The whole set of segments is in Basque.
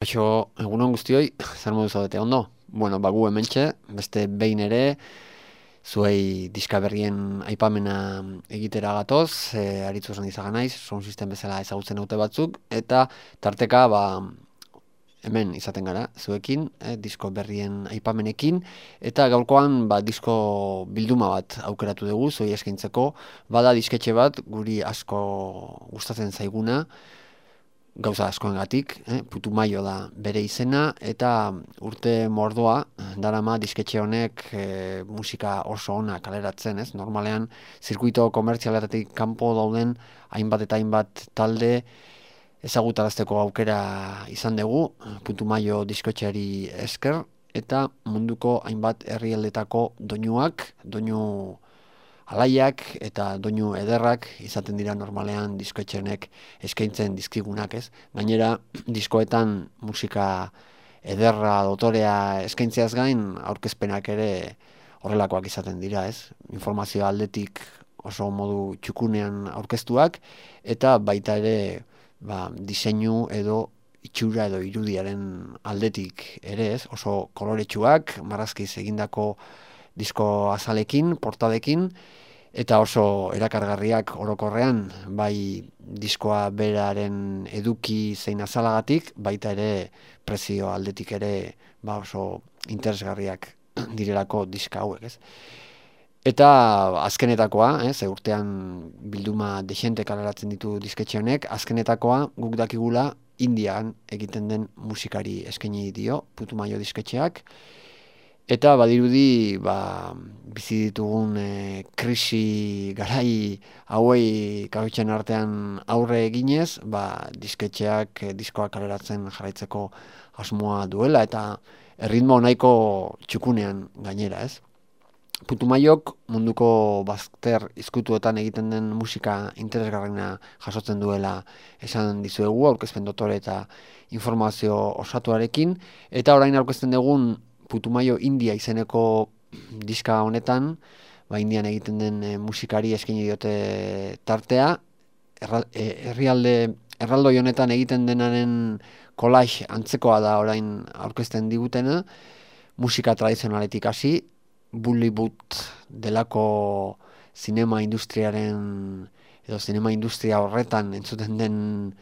Kaixo, egunon guztioi, zer modu zaudete ondo? Bueno, gu hementxe, beste behin ere, zuei diska berrien aipamena egitera gatoz, aritzu esan izaga naiz, sound system bezala ezagutzen dute batzuk, eta tarteka, hemen izaten gara, zuekin, disko berrien aipamenekin, eta gaurkoan, disko bilduma bat aukeratu dugu, zuei eskaintzeko, bada disketxe bat, guri asko gustatzen zaiguna, gauza askoengatik, Putumayo da bere izena, eta urte mordoa darama disketxe honek musika oso ona kaleratzen, ez? Normalean, zirkuito komertzialetatik kanpo dauden hainbat eta hainbat talde ezagutarazteko aukera izan dugu, Putumayo diskotxeari esker, eta munduko hainbat herrialdetako doinuak, doinu alaiak eta doinu ederrak izaten dira normalean diskoetxenek eskaintzen dizkigunak, ez? Gainera, diskoetan musika ederra, dotorea eskaintzeaz gain, aurkezpenak ere horrelakoak izaten dira, ez? Informazio aldetik oso modu txukunean aurkeztuak, eta baita ere diseinu edo itxura edo irudiaren aldetik ere, ez? Oso koloretsuak, marrazkiz egindako disko azalekin, portadekin, eta oso erakargarriak orokorrean, bai diskoa beraren eduki zein azalagatik, baita ere prezio aldetik ere oso interesgarriak direlako diska hauek, ez? Eta azkenetakoa, ze urtean bilduma dexente kaleratzen ditu disketxe honek, azkenetakoa guk dakigula Indian egiten den musikari eskaini dio, Putumayo disketxeak, eta badirudi bizi ditugun krisi garai hauei kabitzen artean aurre eginez, disketxeak diskoak kaleratzen jarraitzeko asmoa duela, eta erritmo nahiko txukunean gainera, ez? Putumayok munduko bazter izkutuetan egiten den musika interesgarrena jasotzen duela esan dizuegu, aurkezpen dotore eta informazio osatuarekin, eta orain aurkezten dugun Putumayo India izeneko diska honetan, Indian egiten den musikari eskaini diote tartea, erraldoi honetan egiten denaren collage antzekoa da orain aurkezten digutena, musika tradizionaletik hasi, Bollywood delako zinema industriaren edo zinema industria horretan entzuten den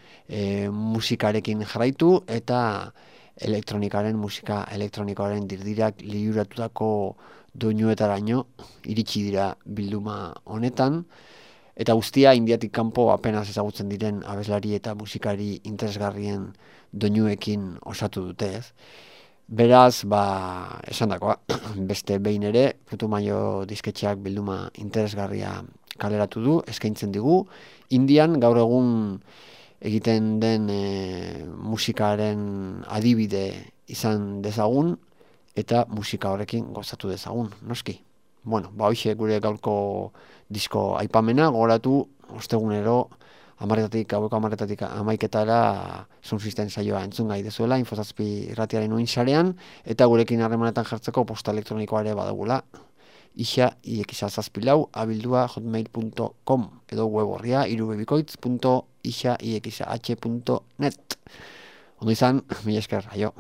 musikarekin jarraitu, eta musika elektronikoaren dirdirak liuratutako doinuetaraino iritsi dira bilduma honetan, eta guztia Indiatik kanpo apenas ezagutzen diren abeslari eta musikari interesgarrien doinuekin osatu dute, ez? Beraz, esandakoa, beste behin ere, Putumayo disketxeak bilduma interesgarria kaleratu du, eskaintzen digu. Indian gaur egun egiten den musikaren adibide izan dezagun, eta musika horrekin gozatu dezagun, noski. Bueno, hoxe gure gaurko disko aipamena, gogoratu, ostegunero, gaueko 10:00 11:00 sound system saioa entzun gai dezuela, Infozazpi irratiaren sarean, eta gurekin harremanetan jartzeko posta elektronikoa ere badagula, isa@hotmail.com edo web horria irubebikoitz.isa.net. Ondo izan, mila esker, aio.